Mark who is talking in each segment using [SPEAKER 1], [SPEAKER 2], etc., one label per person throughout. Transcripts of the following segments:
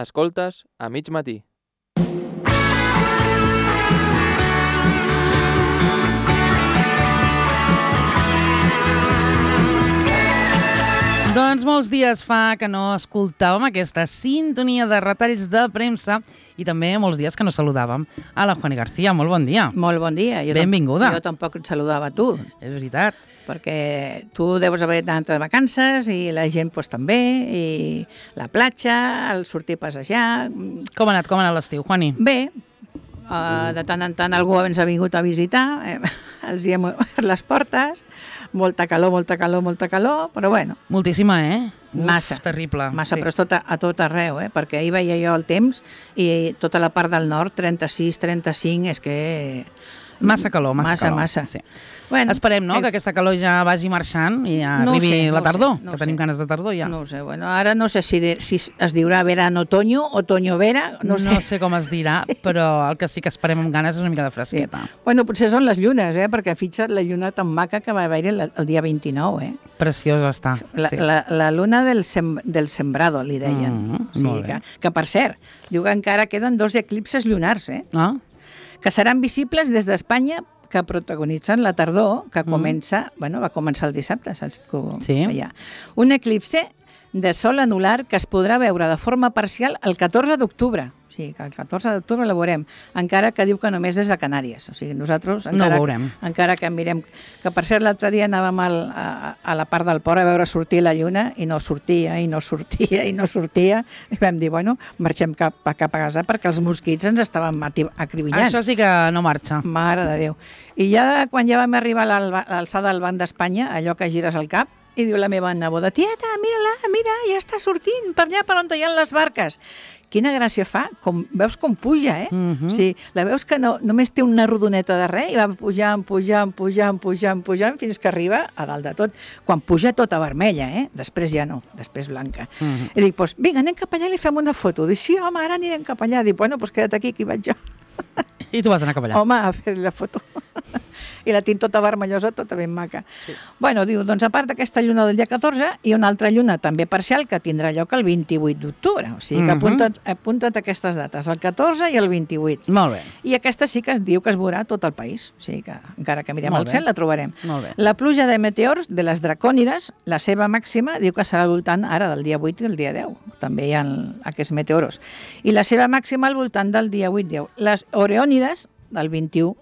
[SPEAKER 1] Escoltes a mig matí.
[SPEAKER 2] Doncs molts dies fa que no escoltàvem aquesta sintonia de retalls de premsa i també molts dies que no saludàvem a la Juani García. Molt bon dia.
[SPEAKER 3] Molt bon dia.
[SPEAKER 2] Benvinguda.
[SPEAKER 3] Jo tampoc et saludava a tu.
[SPEAKER 2] És veritat.
[SPEAKER 3] Perquè tu deus haver anat de vacances i la gent pues, també, i la platja, el sortir a passejar...
[SPEAKER 2] Com ha anat l'estiu, Juani?
[SPEAKER 3] Bé, de tant en tant algú ens ha vingut a visitar, els hi hem obert les portes, molta calor, però bueno.
[SPEAKER 2] Moltíssima,
[SPEAKER 3] Massa.
[SPEAKER 2] Terrible.
[SPEAKER 3] Massa, sí. Però a tot arreu, perquè ahir veia jo el temps i tota la part del nord, 36, 35, és que...
[SPEAKER 2] Massa calor.
[SPEAKER 3] Sí. Bueno,
[SPEAKER 2] esperem, no?, que aquesta calor ja vagi marxant i ja arribi la tardor, que tenim ganes de tardor ja.
[SPEAKER 3] No ho sé, bueno, ara no sé si es diurà verano-otoño, otoño-vera, no sé
[SPEAKER 2] com es dirà, sí. Però el que sí que esperem amb ganes és una mica de fresqueta.
[SPEAKER 3] Sí. Bueno, potser són les llunes, perquè fixa't la lluna tan maca que va haver-hi el dia 29,
[SPEAKER 2] Preciosa està.
[SPEAKER 3] La luna del sembrado, li deien. O sigui, que per cert, diu que encara queden 2 eclipses lunars, que seran visibles des d'Espanya, que protagonitzen la tardor, que comença, va començar el dissabte, saps?
[SPEAKER 2] Sí.
[SPEAKER 3] Un eclipse de sol anular que es podrà veure de forma parcial el 14 d'octubre. O sigui, que el 14 d'octubre la veurem, encara que diu que només des de Canàries. O sigui, nosaltres encara que mirem... Que per cert, l'altre dia anàvem a la part del port a veure sortir la lluna i no sortia. I vam dir, bueno, marxem cap a casa perquè els mosquits ens estaven acribillant.
[SPEAKER 2] Això sí que no marxa.
[SPEAKER 3] Mare de Déu. I ja quan ja vam arribar a l'alçada del Banc d'Espanya, allò que gires el cap, i diu la meva neboda, tieta, mira, ja està sortint per allà per on hi ha les barques. Quina gràcia fa, veus com puja, O sigui, la veus que només té una rodoneta de res i va pujant fins que arriba a dalt de tot. Quan puja tota vermella, després ja no, després blanca. I dic, doncs vinga, anem cap allà i li fem una foto. Dic, sí, home, ara anirem cap allà. Dic, bueno, doncs queda't aquí, que hi vaig jo.
[SPEAKER 2] I tu vas anar cap allà.
[SPEAKER 3] Home, a fer la foto. I la tinc tota vermellosa, tota ben maca. Sí. Bueno, diu, doncs a part d'aquesta lluna del dia 14, hi ha una altra lluna també parcial que tindrà lloc el 28 d'octubre. O sigui que apunta't aquestes dates, el 14 i el 28.
[SPEAKER 2] Molt bé.
[SPEAKER 3] I aquesta sí que es diu que es veurà tot el país. O sigui que encara que mirem al cel la trobarem.
[SPEAKER 2] Molt bé.
[SPEAKER 3] La pluja de meteors de les dracònides, la seva màxima, diu que serà al voltant ara del dia 8 i el dia 10. També hi ha aquests meteoros. I la seva màxima al voltant del dia 8-10. Les oreònides, del 21,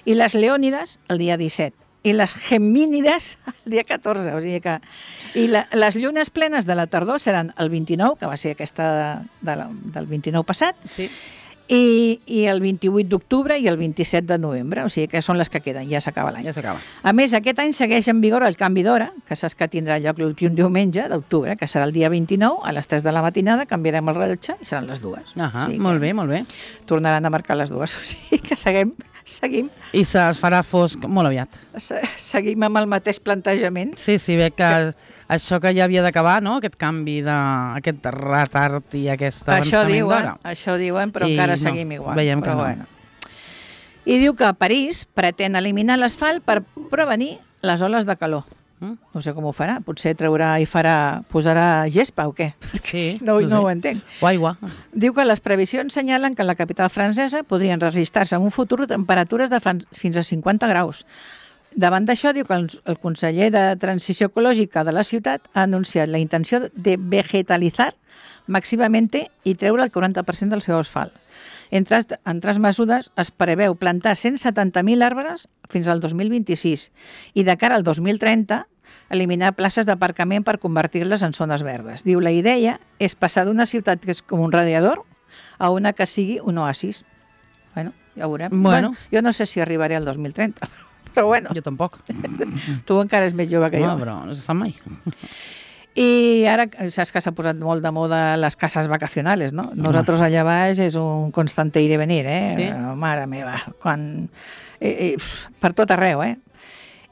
[SPEAKER 3] i les leònides el dia 17, i les gemínides el dia 14, o sigui que... I les llunes plenes de la tardor seran el 29, que va ser aquesta del 29 passat,
[SPEAKER 2] sí.
[SPEAKER 3] I el 28 d'octubre i el 27 de novembre, o sigui que són les que queden, ja s'acaba l'any.
[SPEAKER 2] Ja s'acaba.
[SPEAKER 3] A més, aquest any segueix en vigor el canvi d'hora, que saps que tindrà lloc l'últim diumenge d'octubre, que serà el dia 29, a les 3 de la matinada, canviarem el rellotge i seran les 2.
[SPEAKER 2] O sigui molt bé. Tornaran
[SPEAKER 3] a marcar les 2, o sigui que seguim.
[SPEAKER 2] I es farà fosc molt aviat.
[SPEAKER 3] Seguim amb el mateix plantejament.
[SPEAKER 2] Sí, veig que això que ja havia d'acabar, no?, aquest canvi, aquest retard i aquest avançament d'hora.
[SPEAKER 3] Això diuen, però encara seguim igual.
[SPEAKER 2] Veiem que no.
[SPEAKER 3] I diu que París pretén eliminar l'asfalt per prevenir les oles de calor. No sé com ho farà, potser traurà i posarà gespa o què?
[SPEAKER 2] Sí,
[SPEAKER 3] no ho entenc.
[SPEAKER 2] O aigua.
[SPEAKER 3] Diu que les previsions senyalen que a la capital francesa podrien registrar-se en un futur temperatures de fins a 50 graus. Davant d'això, diu que el conseller de Transició Ecològica de la ciutat ha anunciat la intenció de vegetalitzar màximamente i treure el 40% del seu asfalt. Entre altres mesures, es preveu plantar 170.000 arbres fins al 2026 i de cara al 2030 eliminar places d'aparcament per convertir-les en zones verdes. Diu, la idea és passar d'una ciutat que és com un radiador a una que sigui un oasis. Bueno, ja ho veurem.
[SPEAKER 2] Bueno,
[SPEAKER 3] jo no sé si arribaré al 2030, però bueno.
[SPEAKER 2] Jo tampoc.
[SPEAKER 3] Tu encara és més jove que jo.
[SPEAKER 2] No, però no se sap mai.
[SPEAKER 3] I ara saps que s'ha posat molt de moda les cases vacacionales, no? Nosaltres allà baix és un constante ir i venir,
[SPEAKER 2] Sí?
[SPEAKER 3] Mare meva, per tot arreu,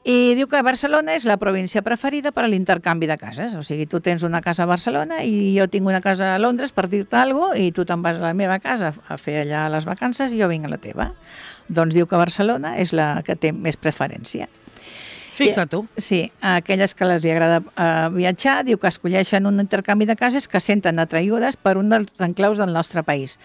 [SPEAKER 3] I diu que Barcelona és la província preferida per a l'intercanvi de cases. O sigui, tu tens una casa a Barcelona i jo tinc una casa a Londres, per dir-te alguna cosa, i tu te'n vas a la meva casa a fer allà les vacances i jo vinc a la teva. Doncs diu que Barcelona és la que té més preferència.
[SPEAKER 2] Fixa tu.
[SPEAKER 3] Sí, a aquelles que els agrada viatjar, diu que escolleixen un intercanvi de cases que senten atraïdes per un dels enclaus del nostre país.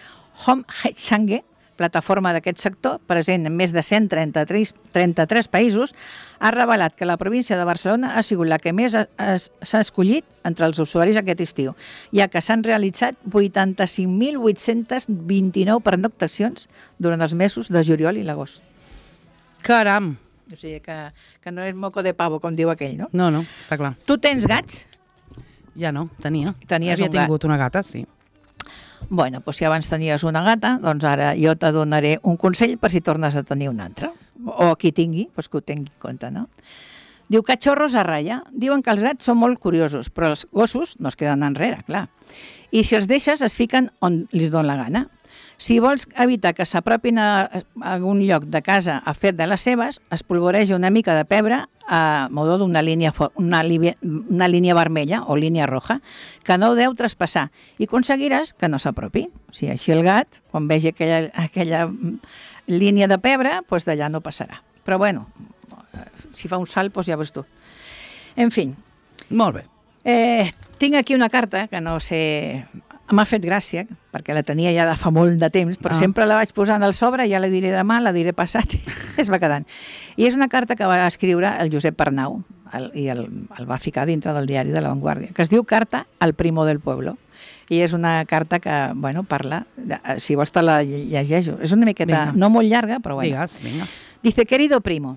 [SPEAKER 3] Home Change, plataforma d'aquest sector, present en més de 133 països, ha revelat que la província de Barcelona ha sigut la que més s'ha escollit entre els usuaris aquest estiu, ja que s'han realitzat 85.829 pernoctacions durant els mesos de juliol i l'agost.
[SPEAKER 2] Caram!
[SPEAKER 3] O sigui que no és moco de pavo, com diu aquell, no?
[SPEAKER 2] No, està clar.
[SPEAKER 3] Tu tens gats?
[SPEAKER 2] Ja no, tenia.
[SPEAKER 3] Tenies
[SPEAKER 2] Havia
[SPEAKER 3] un gat.
[SPEAKER 2] tingut una gata, sí.
[SPEAKER 3] Bueno, doncs si abans tenies una gata, doncs ara jo te donaré un consell per si tornes a tenir una altra. O qui tingui, doncs que ho tingui en compte, no? Diu, cachorros a ratlla. Diuen que els gats són molt curiosos, però els gossos no es queden enrere, clar. I si els deixes, es fiquen on li dona la gana. Si vols evitar que s'apropin a algun lloc de casa a fer de les seves, es polvoreja una mica de pebre a modo d'una línia vermella o línia roja que no deu traspassar i aconseguiràs que no s'apropi. O sigui, així el gat, quan vegi aquella línia de pebre, doncs d'allà no passarà. Però bueno, si fa un salt, doncs ja veus tu. En fi.
[SPEAKER 2] Molt bé.
[SPEAKER 3] Tinc aquí una carta que no sé... M'ha fet gràcia, perquè la tenia ja de fa molt de temps, però sempre la vaig posant al sobre, ja la diré demà, la diré passat, i es va quedant. I és una carta que va escriure el Josep Arnau, i el va ficar dintre del diari de La Vanguardia, que es diu Carta al Primo del Pueblo. I és una carta que, bueno, parla, si vols te la llegeixo. És una miqueta, no molt llarga, però bueno.
[SPEAKER 2] Digues, vinga.
[SPEAKER 3] Dice, querido primo,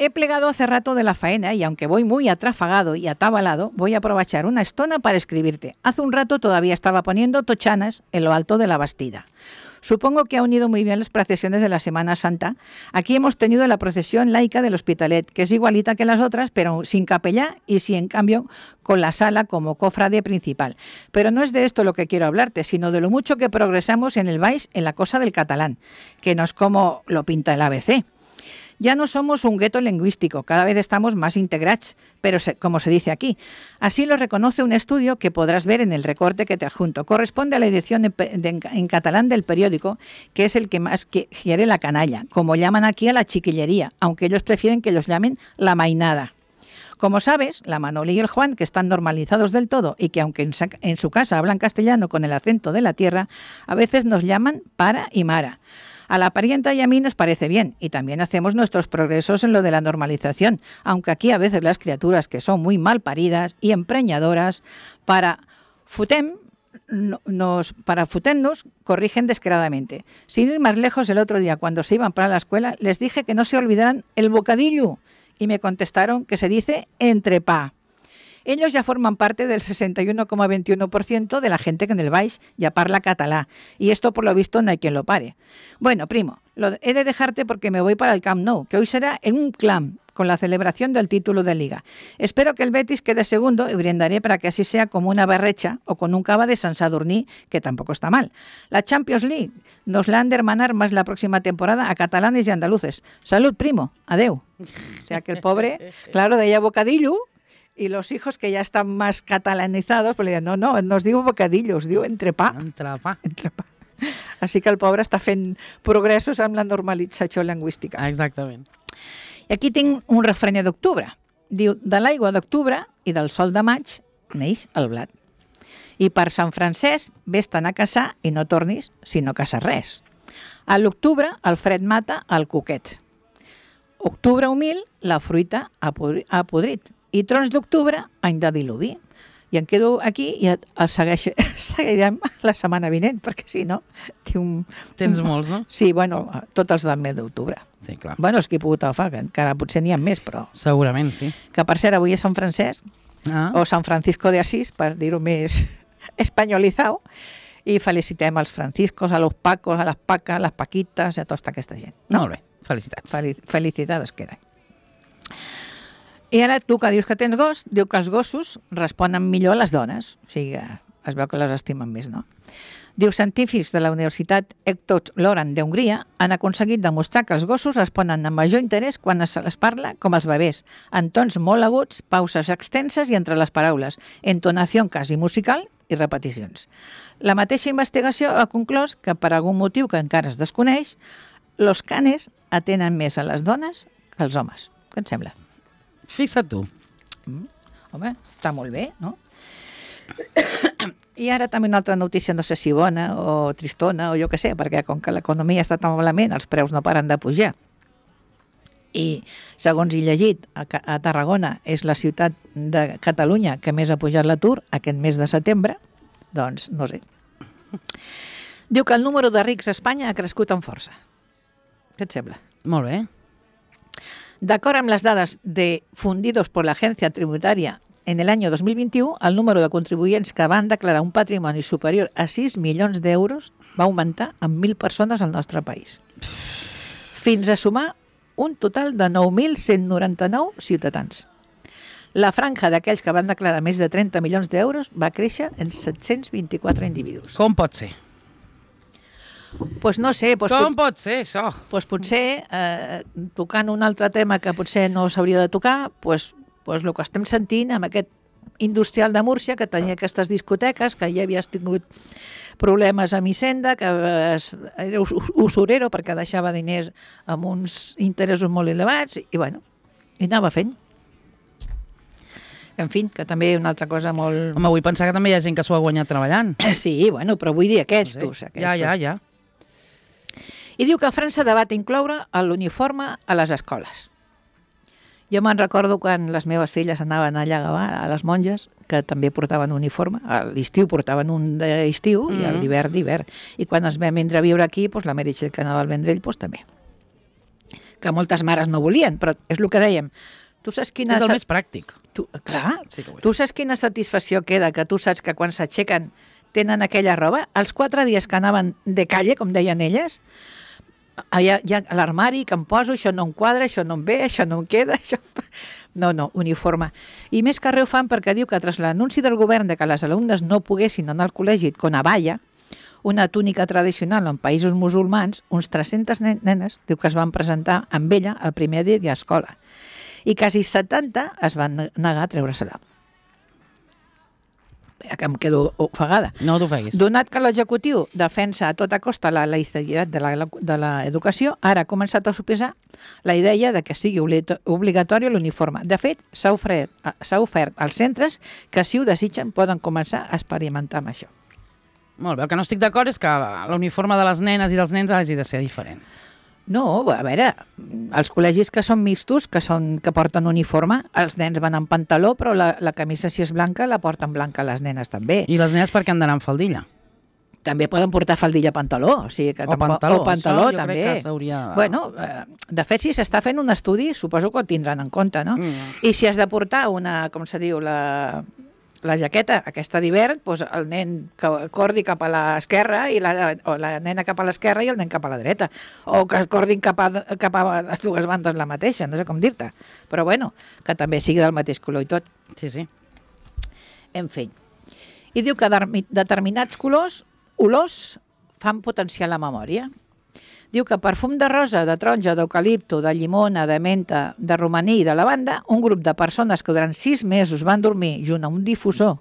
[SPEAKER 3] he plegado hace rato de la faena y aunque voy muy atrafagado y atabalado, voy a aprovechar una estona para escribirte. Hace un rato todavía estaba poniendo tochanas en lo alto de la Bastida. Supongo que ha unido muy bien las procesiones de la Semana Santa. Aquí hemos tenido la procesión laica del Hospitalet, que es igualita que las otras, pero sin capellá y sí, en cambio, con la sala como cofrade principal. Pero no es de esto lo que quiero hablarte, sino de lo mucho que progresamos en el Baix en la cosa del catalán, que no es como lo pinta el ABC. Ya no somos un gueto lingüístico, cada vez estamos más integrados, pero como se dice aquí. Así lo reconoce un estudio que podrás ver en el recorte que te adjunto. Corresponde a la edición en catalán del periódico, que es el que más quiere la canalla, como llaman aquí a la chiquillería, aunque ellos prefieren que los llamen la mainada. Como sabes, la Manoli y el Juan, que están normalizados del todo y que aunque en su casa hablan castellano con el acento de la tierra, a veces nos llaman para y mara. A la parienta y a mí nos parece bien y también hacemos nuestros progresos en lo de la normalización, aunque aquí a veces las criaturas que son muy mal paridas y empreñadoras para futernos corrigen descaradamente. Sin ir más lejos, el otro día cuando se iban para la escuela les dije que no se olvidaran el bocadillo y me contestaron que se dice entrepà. Ellos ya forman parte del 61,21% de la gente que en el Baix ya parla catalá. Y esto, por lo visto, no hay quien lo pare. Bueno, primo, he de dejarte porque me voy para el Camp Nou, que hoy será en un clam, con la celebración del título de Liga. Espero que el Betis quede segundo y brindaré para que así sea como una berrecha o con un cava de Sant Sadurní, que tampoco está mal. La Champions League nos la han de hermanar más la próxima temporada a catalanes y andaluces. Salud, primo. Adeu. O sea que el pobre, claro, deia bocadillo. Y los hijos que ya están más catalanizados, pues le diuen, no os diu bocadillo, us diu entrepà.
[SPEAKER 2] Entrepà.
[SPEAKER 3] Així que el pobre està fent progressos amb la normalització lingüística.
[SPEAKER 2] Exactament.
[SPEAKER 3] I aquí tinc un refrany d'octubre. Diu, de l'aigua d'octubre i del sol de maig neix el blat. I per Sant Francesc, vés-te'n a caçar i no tornis si no caces res. A l'octubre el fred mata el cuquet. Octubre humil, la fruita ha podrit. I trons d'octubre, any de diluvi. I em quedo aquí i el seguirem la setmana vinent, perquè si no...
[SPEAKER 2] Tens molts, no?
[SPEAKER 3] Sí, bueno, tots els del mes d'octubre.
[SPEAKER 2] Sí, clar.
[SPEAKER 3] Bueno, els que he pogut agafar, que encara potser n'hi ha més, però...
[SPEAKER 2] Segurament, sí.
[SPEAKER 3] Que per cert, avui és Sant Francesc, o Sant Francisco de Asís, per dir-ho més espanyolitzat, i felicitem als franciscos, a los pacos, a les paques, a les paquites, a tota aquesta gent. No?
[SPEAKER 2] Molt bé, felicitats.
[SPEAKER 3] Felicitats queden. I ara tu que dius que tens gos, diu que els gossos responen millor a les dones. O sigui, es veu que les estimen més, no? Diu, científics de la Universitat Hector Loran d'Hongria han aconseguit demostrar que els gossos responen amb major interès quan se les parla com els bebès, en tons molt aguts, pauses extenses i entre les paraules, entonació quasi musical i repeticions. La mateixa investigació ha conclòs que per algun motiu que encara es desconeix, los canes atenen més a les dones que als homes. Què et sembla?
[SPEAKER 2] Fixa't tu.
[SPEAKER 3] Home, està molt bé, no? I ara també una altra notícia, no sé si bona o tristona o jo què sé, perquè com que l'economia està tan malament, els preus no paren de pujar. I, segons he llegit, a Tarragona és la ciutat de Catalunya que més ha pujat l'atur aquest mes de setembre, doncs no sé. Diu que el número de rics a Espanya ha crescut amb força. Què et sembla?
[SPEAKER 2] Molt bé.
[SPEAKER 3] De acuerdo amb les dades difundidos por la agencia tributaria en el año 2021, el número de contribuyents que van declarar un patrimoni superior a 6 milions d'euros va augmentar en 1.000 persones al nostre país, fins a sumar un total de 9.199 ciutadans. La franja d'aquells que van declarar més de 30 milions d'euros va créixer en 724 individus.
[SPEAKER 2] Com pot ser?
[SPEAKER 3] Pues no sé,
[SPEAKER 2] Com pot ser, això?
[SPEAKER 3] pues potser, tocant un altre tema que potser no s'hauria de tocar, pues el que estem sentint amb aquest industrial de Múrcia, que tenia aquestes discoteques, que ja havies tingut problemes amb Hisenda, que era usurero perquè deixava diners amb uns interessos molt elevats, i bueno, i anava fent. En fi, que també una altra cosa molt...
[SPEAKER 2] Home, vull pensar que també hi ha gent que s'ho ha guanyat treballant.
[SPEAKER 3] Sí, bueno, però vull dir aquests.
[SPEAKER 2] Ja.
[SPEAKER 3] I diu que França debat incloure l'uniforme a les escoles. Jo me'n recordo quan les meves filles anaven allà a les monges, que també portaven uniforme. A l'estiu portaven un d'estiu i a l'hivern d'hivern. I quan ens vam vindre a viure aquí, doncs la Meritxell que anava al Vendrell doncs també. Que moltes mares no volien, però és el que dèiem. Tu saps quina...
[SPEAKER 2] És el més pràctic.
[SPEAKER 3] Clar,
[SPEAKER 2] sí que ho és.
[SPEAKER 3] Tu saps quina satisfacció queda que tu saps que quan s'aixequen tenen aquella roba? Els 4 dies que anaven de calle, com deien elles, hi ha l'armari que em poso, això no em quadra, això no em ve, això no em queda, això... No, uniforme. I més que res ho fan perquè diu que tras l'anunci del govern de que les alumnes no poguessin anar al col·legi con abaya, una túnica tradicional en països musulmans, uns 300 nenes diu que es van presentar amb ella el primer dia d'escola i quasi 70 es van negar a treure-se-la. Que em quedo ofegada.
[SPEAKER 2] No t'ofeguis.
[SPEAKER 3] Donat que l'executiu defensa a tota costa la laïcitat de l'educació, ara ha començat a sospesar la idea de que sigui obligatori l'uniforme. De fet, s'ha ofert als centres que, si ho desitgen, poden començar a experimentar amb això.
[SPEAKER 2] Molt bé, el que no estic d'acord és que l'uniforme de les nenes i dels nens hagi de ser diferent.
[SPEAKER 3] No, a veure, els col·legis que són mixtos, que porten uniforme, els nens van en pantaló, però la camisa, si és blanca, la porten blanca les nenes també.
[SPEAKER 2] I les nenes per què han d'anar amb faldilla?
[SPEAKER 3] També poden portar faldilla pantaló. O sigui que pantaló
[SPEAKER 2] això jo
[SPEAKER 3] també.
[SPEAKER 2] Crec que s'hauria...
[SPEAKER 3] Bueno, de fet, si s'està fent un estudi, suposo que ho tindran en compte, no? I si has de portar una, com se diu, la jaqueta aquesta d'hivern, doncs el nen que cordi cap a l'esquerra o la nena cap a l'esquerra i el nen cap a la dreta. O que cordin cap a les dues bandes la mateixa, no sé com dir-te. Però bueno, que també sigui del mateix color i tot.
[SPEAKER 2] Sí.
[SPEAKER 3] En fi. I diu que determinats olors fan potenciar la memòria. Diu que perfum de rosa, de taronja, d'eucalipto, de llimona, de menta, de romaní i de lavanda, un grup de persones que durant 6 mesos van dormir junt a un difusor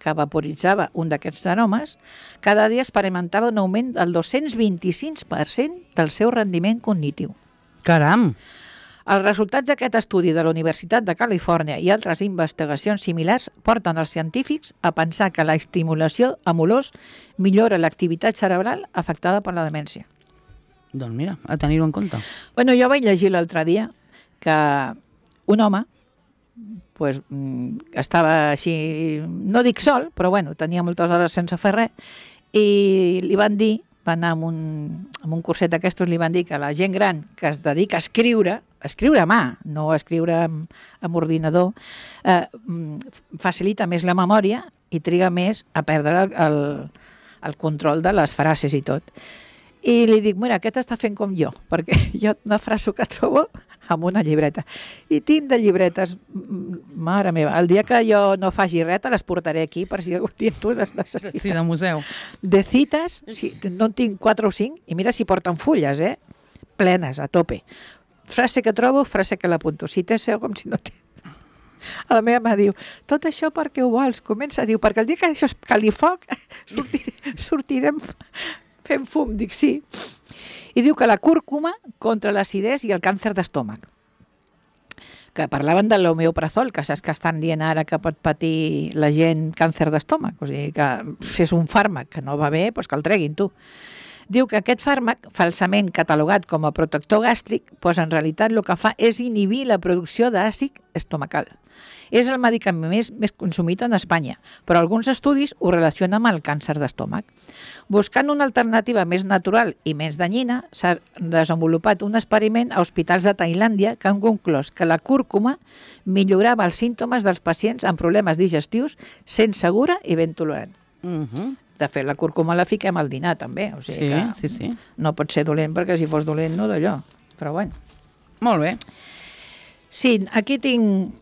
[SPEAKER 3] que vaporitzava un d'aquests aromes, cada dia experimentava un augment del 225% del seu rendiment cognitiu.
[SPEAKER 2] Caram!
[SPEAKER 3] Els resultats d'aquest estudi de la Universitat de Califòrnia i altres investigacions similars porten els científics a pensar que la estimulació amb olors millora l'activitat cerebral afectada per la demència.
[SPEAKER 2] Doncs mira, a tenir-ho en compte.
[SPEAKER 3] Bueno, jo vaig llegir l'altre dia que un home pues, estava així, no dic sol, però bueno, tenia moltes hores sense fer res, i li van dir, va anar amb un curset d'aquestos, li van dir que la gent gran que es dedica a escriure a mà, no a escriure amb ordinador, facilita més la memòria i triga més a perdre el control de les frases i tot. I li dic, mira, aquest està fent com jo, perquè jo una frase que trobo amb una llibreta. I tinc de llibretes, mare meva, el dia que jo no faci res te les portaré aquí per si algun dia tu les necessites.
[SPEAKER 2] Sí, de museu.
[SPEAKER 3] De cites, sí, no en tinc 4 o 5, i mira si porten fulles, plenes, a tope. Frase que trobo, frase que l'apunto. Si té seu, com si no té. La meva mà diu, tot això perquè ho vols? Comença a dir, perquè el dia que això es cali foc, sortirem fent fum, dic sí. I diu que la cúrcuma contra l'acidesa i el càncer d'estómac. que parlaven de l'homeoprazol, que saps que estan dient ara que pot patir la gent càncer d'estómac, o sigui que si és un fàrmac que no va bé, doncs que el treguin tu. Diu que aquest fàrmac, falsament catalogat com a protector gàstric, doncs en realitat el que fa és inhibir la producció d'àcid estomacal. És el medicament més consumit en Espanya, però alguns estudis ho relacionen amb el càncer d'estómac. Buscant una alternativa més natural i més danyina, s'ha desenvolupat un experiment a hospitals de Tailàndia que han conclòs que la cúrcuma millorava els símptomes dels pacients amb problemes digestius sent segura i ben tolerant. De fet, la cúrcuma la fiquem al dinar, també. O sigui que
[SPEAKER 2] sí.
[SPEAKER 3] no pot ser dolent, perquè si fos dolent no d'allò. Però bueno.
[SPEAKER 2] Molt bé.
[SPEAKER 3] Sí, aquí tinc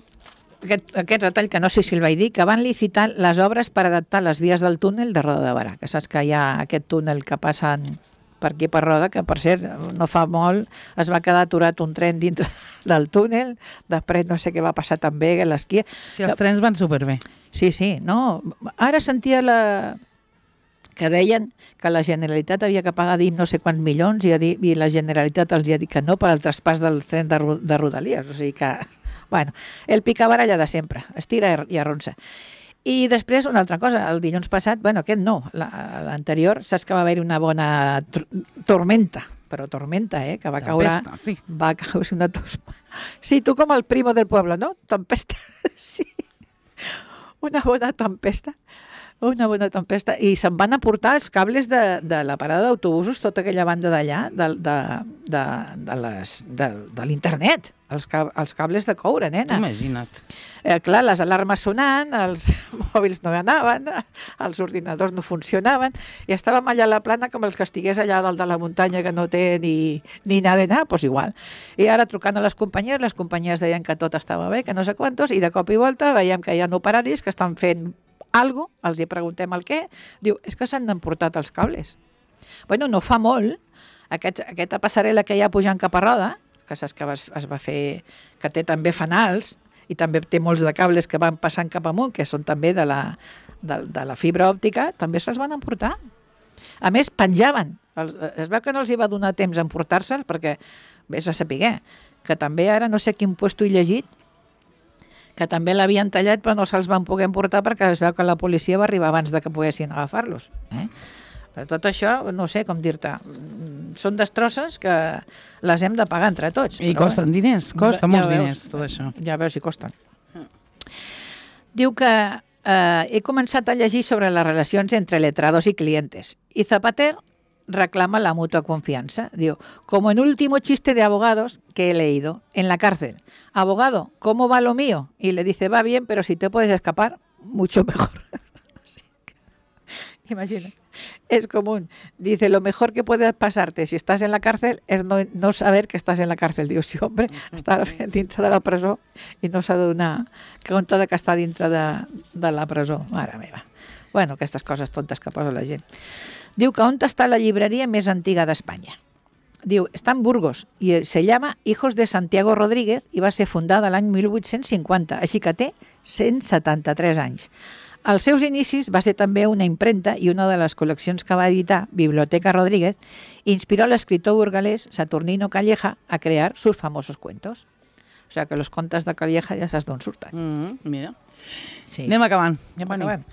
[SPEAKER 3] aquest retall, que no sé si el vaig dir, que van licitar les obres per adaptar les vies del túnel de Roda de Barà, que saps que hi ha aquest túnel que passen per aquí per Roda, que per cert, no fa molt es va quedar aturat un tren dintre del túnel, després no sé què va passar també a l'esquí.
[SPEAKER 2] Sí, els trens van superbé.
[SPEAKER 3] Sí, no. Ara sentia que deien que la Generalitat havia que pagar no sé quants milions i la Generalitat els ha dit que no per al traspàs dels trens de Rodalies. O sigui que, bueno, el picabaralla de sempre, estira i arronsa. I després, una altra cosa, el dilluns passat, bueno, aquest no, l'anterior, saps que va haver-hi una bona tormenta, però tormenta, que va caure...
[SPEAKER 2] Tempesta, sí.
[SPEAKER 3] Va caure una tosma. Sí, tu com el primo del pueblo, no? Tempesta, sí. Una bona tempesta. Una bona tempesta. I se'n van aportar els cables de la parada d'autobusos, tota aquella banda d'allà, de l'internet, els cables de coure, nena.
[SPEAKER 2] Imagina't.
[SPEAKER 3] Clar, les alarmes sonant, els mòbils no anaven, els ordinadors no funcionaven, i estàvem allà a la plana com els que estigués allà dalt de la muntanya que no té ni nada, doncs igual. I ara trucant a les companyies deien que tot estava bé, que no sé quantos, i de cop i volta veiem que hi ha operaris que estan fent algo, els hi preguntem el què, diu, és que s'han emportat els cables. Bueno, no fa molt, aquesta passarel·la que hi ha pujant cap a Roda, que saps que es va fer, que té també fanals, i també té molts de cables que van passant cap amunt, que són també de la fibra òptica, també se'ls van emportar. A més, penjaven. Es veu que no els hi va donar temps a emportar-se'ls, perquè, vés a saber, que també ara no sé quin puesto he llegit, que també l'havien tallat però no se'ls van poder emportar perquè es veu que la policia va arribar abans de que poguessin agafar-los. Però tot això, no sé com dir-te, són destrosses que les hem de pagar entre tots.
[SPEAKER 2] I costen diners, costa molts diners tot això.
[SPEAKER 3] Ja veus si costen. Diu que he començat a llegir sobre les relacions entre letrados y clientes y Zapater reclama la mutua confianza. Digo, como en último chiste de abogados que he leído en la cárcel. Abogado, ¿cómo va lo mío? Y le dice, va bien, pero si te puedes escapar, mucho mejor. Imagina, es común. Dice, lo mejor que puede pasarte si estás en la cárcel es no saber que estás en la cárcel. Diu, sí, hombre, està dintre de la presó i no s'ha de donar compte que està dintre de la presó. Mare meva. Bueno, aquestes coses tontes que posa la gent. Diu que on està la llibreria més antiga d'Espanya. Diu, està en Burgos i se llama Hijos de Santiago Rodríguez i va ser fundada l'any 1850, així que té 173 anys. Als seus inicis va ser també una impremta i una de les col·leccions que va editar, Biblioteca Rodríguez, inspiró a l'escriptor burgalès Saturnino Calleja a crear sus famosos cuentos. O sigui que els contes de Calleja ja saps d'on surten.
[SPEAKER 2] Mira.
[SPEAKER 3] Sí.
[SPEAKER 2] Anem acabant.
[SPEAKER 3] Acabant.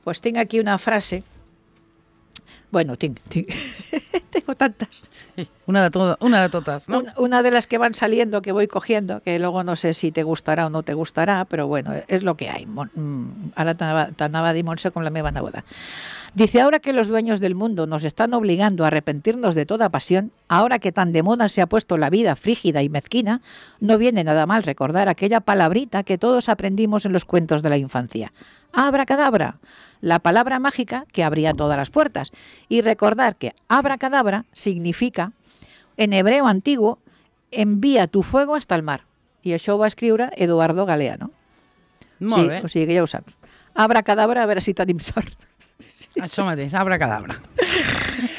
[SPEAKER 3] Pues tinc aquí una frase. Bueno, tengo tantas.
[SPEAKER 2] Sí, una de todas, ¿no?
[SPEAKER 3] Una de las que van saliendo, que voy cogiendo, que luego no sé si te gustará o no te gustará, pero bueno, es lo que hay. Ahora t'anava a dir Montse con la meva neboda. Dice, ahora que los dueños del mundo nos están obligando a arrepentirnos de toda pasión, ahora que tan de moda se ha puesto la vida frígida y mezquina, no viene nada mal recordar aquella palabrita que todos aprendimos en los cuentos de la infancia. Abracadabra, la palabra mágica que abría todas las puertas. Y recordar que abracadabra significa, en hebreo antiguo, envía tu fuego hasta el mar. I això ho va escriure Eduardo Galeano.
[SPEAKER 2] Molt bé.
[SPEAKER 3] O sigui que ja ho saps. Abracadabra, a veure si tenim sort.
[SPEAKER 2] Sí. Això mateix, abracadabra.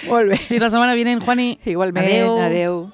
[SPEAKER 3] Molt bé.
[SPEAKER 2] Fins la setmana vinent, Juani.
[SPEAKER 3] Igualment, adeu.